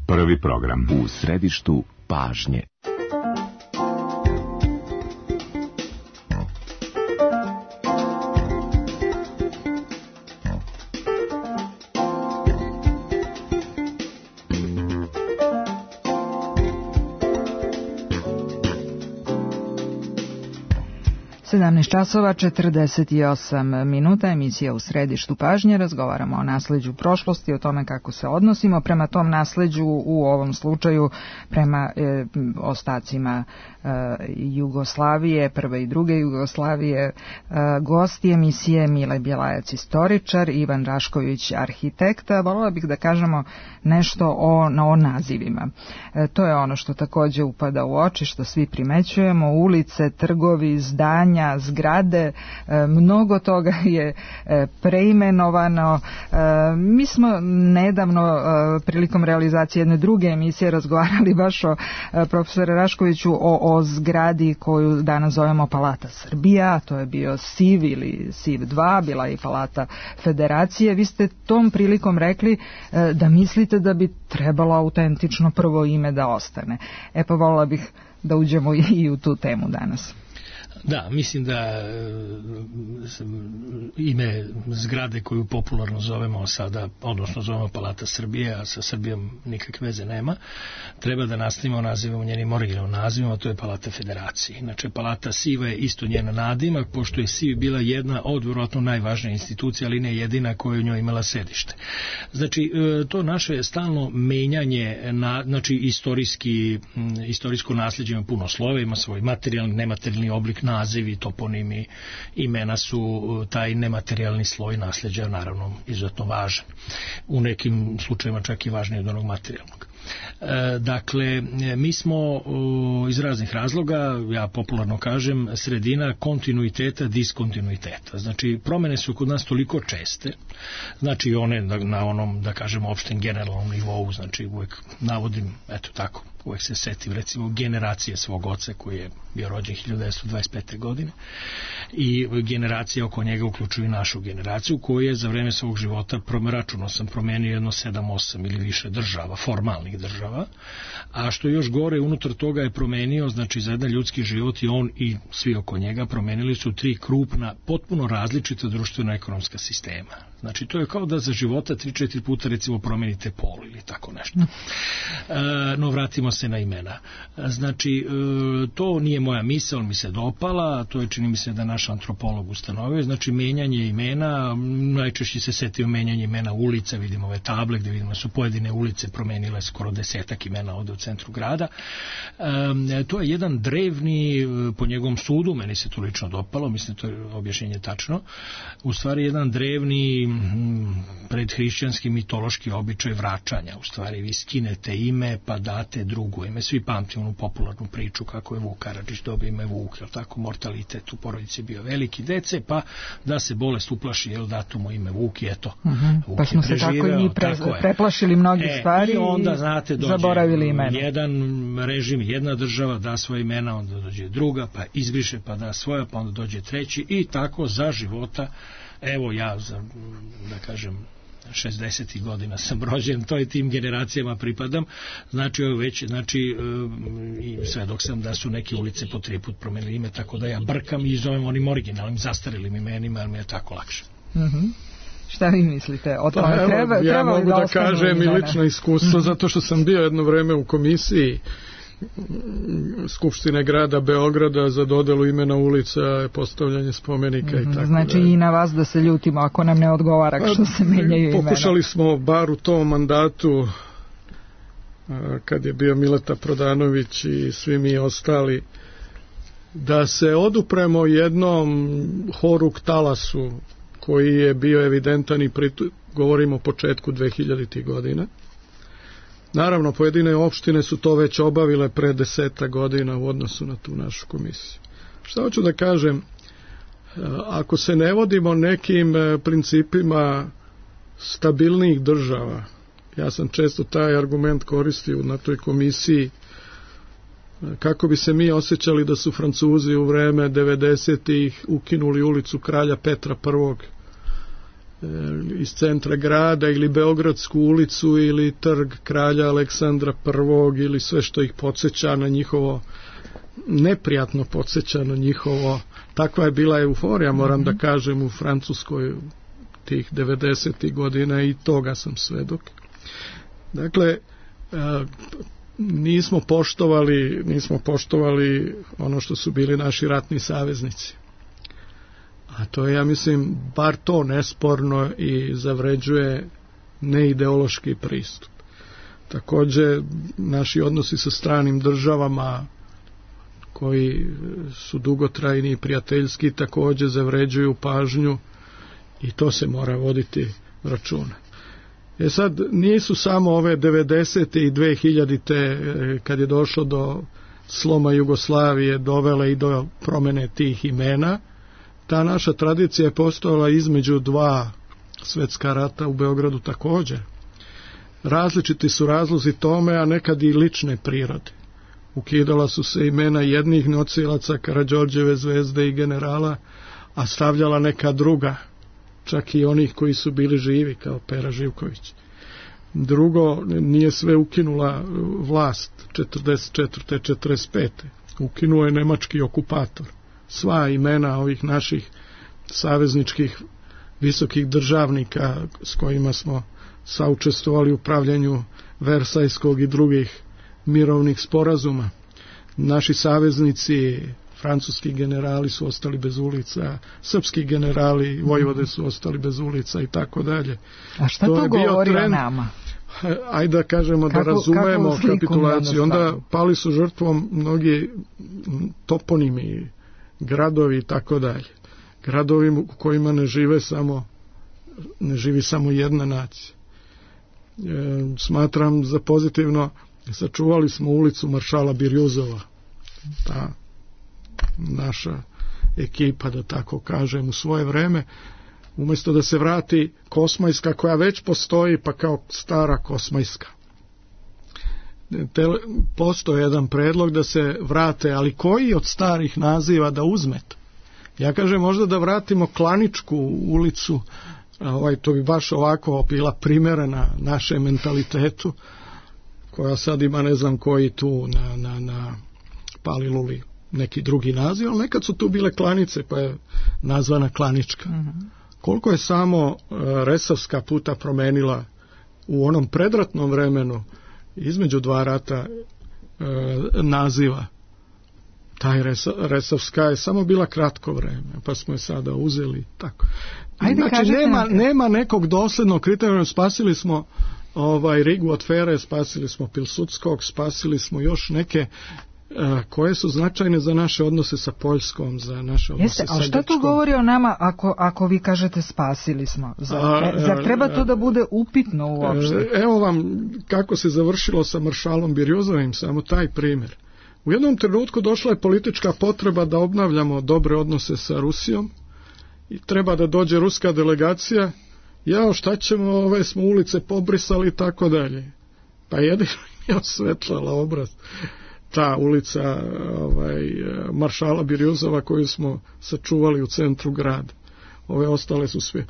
prvi program. U središtu pažnje. sedamnaest časova četrdeset osam minuta, emisija U središtu pažnje. Razgovaramo o nasleđu prošlosti, o tome kako se odnosimo prema tom nasleđu, u ovom slučaju prema e, ostacima e, Jugoslavije, prve i druge Jugoslavije. E, gosti emisije Mile Bjelajac, istoričar, Ivan Rašković, arhitekta. Voljela bih da kažemo nešto o, o nazivima. E, to je ono što također upada u oči, što svi primećujemo. Ulice, trgovi, zdanja, menja zgrade, mnogo toga je preimenovano. Mi smo nedavno prilikom realizacije jedne druge emisije razgovarali baš o profesore Raškoviću o, o zgradi koju danas zovemo Palata Srbija, to je bio S I V ili S I V dva, bila je i Palata Federacije. Vi ste tom prilikom rekli da mislite da bi trebalo autentično prvo ime da ostane. E pa volila bih da uđemo i u tu temu danas. Da, mislim da ime zgrade koju popularno zovemo sada, odnosno zovemo Palata Srbije, a sa Srbijom nikakve veze nema, treba da nastavimo nazivamo njenim originalnim nazivom, a to je Palata Federacije. Znači, Palata S I V je isto njena nadimak, pošto je S I V bila jedna od vjerojatno najvažnija institucija, ali ne jedina koja je u njoj imala sedište. Znači, to naše stalno menjanje, na, znači, istorijski, istorijsko nasljeđe ima puno slova, ima svoj materijalni, nematerijalni oblik, nazivi, toponimi, imena su taj nematerijalni sloj nasljeđa, naravno izuzetno važan. U nekim slučajevima čak i važniji od onog materijalnog. E, dakle, mi smo iz raznih razloga, ja popularno kažem, sredina kontinuiteta, diskontinuiteta. Znači, promene su kod nas toliko česte, znači one na onom, da kažem, opštem generalnom nivou, znači uvek navodim, eto tako, uvek se setim recimo generacije svog oca koji je bio rođen hiljadu devetsto dvadeset pete. godine i generacije oko njega uključuju našu generaciju koja je za vreme svog života, računao sam, promenio jedno sedam osam ili više država, formalnih država, a što još gore unutar toga je promenio, znači za jedan ljudski život i on i svi oko njega promenili su tri krupna, potpuno različita društveno-ekonomska sistema. Znači to je kao da za života tri četiri puta recimo promenite pol ili tako nešto. E, no vratimo se na imena. Znači e, to nije moja misao, mi se dopala, to je čini mi se da naš antropolog ustanovio, znači menjanje imena, najčešće se setio menjanje imena ulica, vidimo ove table gde vidimo su pojedine ulice promenile skoro desetak imena ovde u centru grada. E, to je jedan drevni, po njegovom sudu, meni se to lično dopalo, mislim to je objašnjenje tačno, u stvari jedan drevni predhrišćanski mitološki običaj vraćanja. U stvari vi skinete ime pa date drugo ime. Svi pamti onu popularnu priču kako je Vuk Karadžić dobio ime Vuk, jel tako, mortalitet u porodici bio veliki, dece, pa da se bolest uplaši, jel dato mu ime Vuk i eto. Uh-huh. Vuk pa smo se tako i mi pre, preplašili mnogih e, stvari i onda, znate, dođe zaboravili imena. Jedan režim, jedna država da svoje imena, onda dođe druga, pa izbriše, pa da svoja, pa onda dođe treći i tako za života. Evo ja, za, da kažem, šezdesetih godina sam rođen, to je tim generacijama pripadam, znači ovo već, znači i svedok sam da su neke ulice po tri put promenili ime, tako da ja brkam i zovem onim originalnim, zastarilim imenima, jer mi je tako lakše. Mhm. Šta vi mislite o tome? Pa, treba, ja treba mogu da, da kažem i lično iskustvo, zato što sam bio jedno vreme u komisiji Skupštine grada Beograda za dodelu imena ulica, postavljanje spomenika mm-hmm. i tako. Znači da. I na vas da se ljutimo ako nam ne odgovara što se menjaju imena. Pokušali smo bar u tom mandatu kad je bio Mileta Prodanović i svi mi ostali da se odupremo jednom horuk talasu koji je bio evidentan i pritu, govorimo o početku dvehiljaditih godina. Naravno, pojedine opštine su to već obavile pre deseta godina u odnosu na tu našu komisiju. Šta hoću da kažem? Ako se ne vodimo nekim principima stabilnih država, ja sam često taj argument koristio na toj komisiji, kako bi se mi osjećali da su Francuzi u vreme devedesetih ukinuli ulicu Kralja Petra prvog iz centra grada ili Beogradsku ulicu ili trg Kralja Aleksandra prvog ili sve što ih podsjeća na njihovo, neprijatno podsjeća na njihovo, takva je bila euforija, moram mm-hmm. da kažem, u Francuskoj tih devedesetih godina i toga sam svedok. Dakle, nismo poštovali, nismo poštovali ono što su bili naši ratni saveznici. A to je, ja mislim, bar to nesporno i zavređuje neideološki pristup. Takođe, naši odnosi sa stranim državama koji su dugotrajni i prijateljski takođe zavređuju pažnju i to se mora voditi računa. E sad, nisu samo ove devedesete i dvehiljadite kad je došlo do sloma Jugoslavije dovele i do promene tih imena. Ta naša tradicija je postojala između dva svetska rata u Beogradu također. Različiti su razlozi tome, a nekad i lične prirode. Ukidala su se imena jednih nosilaca Karađorđeve zvezde i generala, a stavljala neka druga, čak i onih koji su bili živi, kao Pera Živković. Drugo, nije sve ukinula vlast četrdeset četvrte četrdeset pete Ukinuo je nemački okupator. Sva imena ovih naših savezničkih visokih državnika s kojima smo saučestvovali u pravljenju Versajskog i drugih mirovnih sporazuma. Naši saveznici, francuski generali su ostali bez ulica, srpski generali, vojvode su ostali bez ulica i tako dalje. A šta to, to govori o nama? Ajde da kažemo kako, da razumemo kapitulaciju. Onda pali su žrtvom mnogi toponimi, gradovi i tako dalje. Gradovi u kojima ne žive samo ne živi samo jedna nacija. E, smatram za pozitivno, sačuvali smo ulicu Maršala Birjuzova. Ta naša ekipa, da tako kažem, u svoje vreme, umjesto da se vrati Kosmajska koja već postoji, pa kao stara Kosmajska. Te, postoji jedan predlog da se vrate, ali koji od starih naziva da uzmete? Ja kažem možda da vratimo Klaničku ulicu, ovaj, to bi baš ovako bila primjerena našem mentalitetu, koja sad ima ne znam koji tu na, na, na Paliluli neki drugi naziv, ali nekad su tu bile Klanice, pa je nazvana Klanička. Mm-hmm. Koliko je samo uh, Resavska puta promenila u onom predratnom vremenu između dva rata uh, naziva. Taj Resa, Resavska je samo bila kratko vreme, pa smo je sada uzeli tako. Ajde, znači nema, nema nekog doslednog kriterijuma. Spasili smo ovaj Rigu od Fere, spasili smo Pilsudskog, spasili smo još neke koje su značajne za naše odnose sa Poljskom, za naše odnose Jeste, sa Grčkom. A šta to govori o nama ako, ako vi kažete spasili smo? Zar, a, zar treba to da bude upitno uopšte? Evo vam kako se završilo sa Maršalom Birjuzovim, samo taj primjer. U jednom trenutku došla je politička potreba da obnavljamo dobre odnose sa Rusijom i treba da dođe ruska delegacija. Jao, šta ćemo, ove smo ulice pobrisali i tako dalje. Pa jedino je osvetlala obraz ta ulica ovaj, Maršala Birjuzova koju smo sačuvali u centru grada. Ove ostale su sve.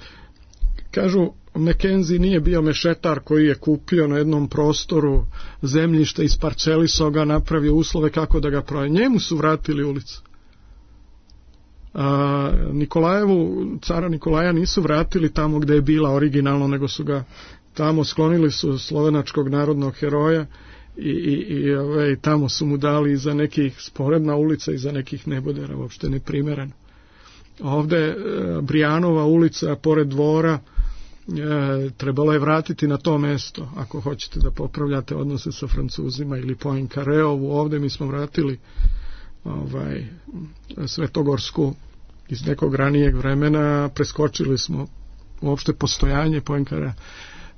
Kažu, Mackenzie nije bio mešetar koji je kupio na jednom prostoru zemljište, isparcelisao ga, napravio uslove kako da ga prodaje. Njemu su vratili ulicu. A, Nikolajevu, cara Nikolaja nisu vratili tamo gde je bila originalno, nego su ga tamo sklonili su slovenačkog narodnog heroja i, i, i ove, tamo su mu dali za nekih sporedna ulica i za nekih nebodera, uopšte neprimereno. Ovde e, Brijanova ulica pored dvora e, trebalo je vratiti na to mesto ako hoćete da popravljate odnose sa Francuzima, ili Poincareovu. Ovde mi smo vratili ovaj, Svetogorsku iz nekog ranijeg vremena, preskočili smo uopšte postojanje Poincarea.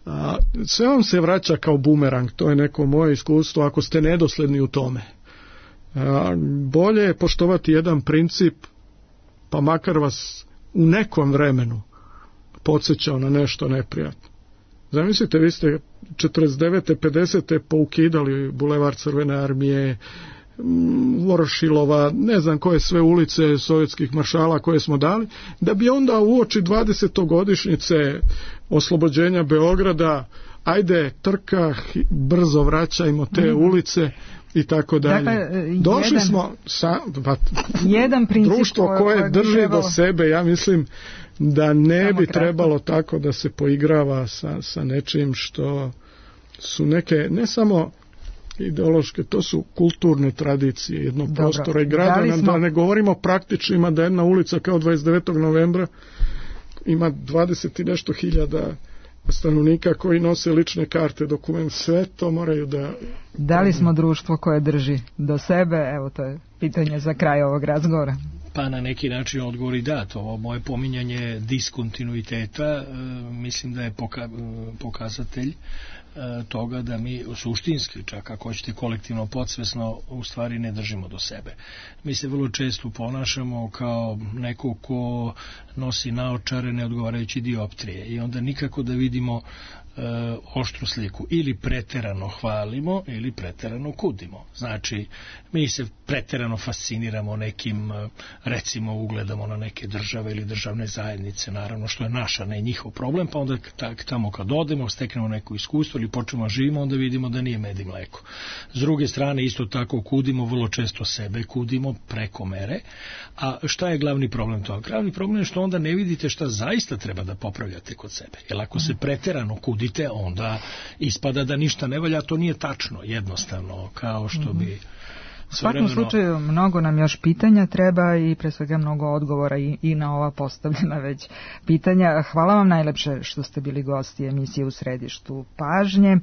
A, sve vam se vraća kao bumerang, to je neko moje iskustvo ako ste nedosledni u tome. A, bolje je poštovati jedan princip, pa makar vas u nekom vremenu podsjećao na nešto neprijatno. Zamislite, vi ste četrdeset devete pedesete poukidali Bulevar Crvene armije, Vorošilova, ne znam koje sve ulice sovjetskih maršala koje smo dali, da bi onda uoči dvadesetogodišnjice oslobođenja Beograda, ajde trka, brzo vraćajmo te mm. ulice i tako dalje. Dakle, došli jedan, smo sa pa, jedan društvo koje, koje drži trebalo... do sebe, ja mislim da ne Samo bi kratko. trebalo tako da se poigrava sa, sa nečim što su neke, ne samo ideološke, to su kulturne tradicije jednog Dobro. prostora i grada, da, smo... da ne govorimo praktičnima, da jedna ulica kao dvadeset devetog novembra ima dvadeset i nešto hiljada stanovnika koji nose lične karte, dokument, sve to moraju da... Da li smo društvo koje drži do sebe? Evo, to je pitanje za kraj ovog razgovora. Pa na neki način odgovor i da, to ovo moje pominjanje diskontinuiteta mislim da je poka, pokazatelj toga da mi suštinski, čak ako hoćete kolektivno podsvesno, u stvari ne držimo do sebe. Mi se vrlo često ponašamo kao neko ko nosi naočare ne odgovarajući dioptrije i onda nikako da vidimo e, oštru sliku. Ili preterano hvalimo ili preterano kudimo. Znači, mi se preterano fasciniramo nekim, recimo ugledamo na neke države ili državne zajednice, naravno što je naša, ne njihov problem, pa onda tamo kad odemo, steknemo neko iskustvo ili počnemo živimo, onda vidimo da nije med i mleko. S druge strane, isto tako kudimo, vrlo često sebe kudimo preko mere. A šta je glavni problem toga? Glavni problem je što onda ne vidite šta zaista treba da popravljate kod sebe. Jer ako se preterano kudite, onda ispada da ništa ne valja, to nije tačno, jednostavno, kao što bi... U svakom slučaju mnogo nam još pitanja treba i pre svega mnogo odgovora i, i na ova postavljena već pitanja. Hvala vam najlepše što ste bili gosti emisije U središtu pažnje.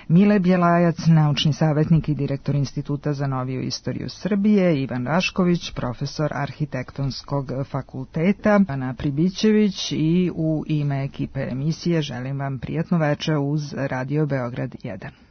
Mile Bjelajac, naučni savjetnik i direktor Instituta za noviju istoriju Srbije, Ivan Rašković, profesor Arhitektonskog fakulteta, Ana Pribićević, i u ime ekipe emisije želim vam prijatno veče uz Radio Beograd jedan.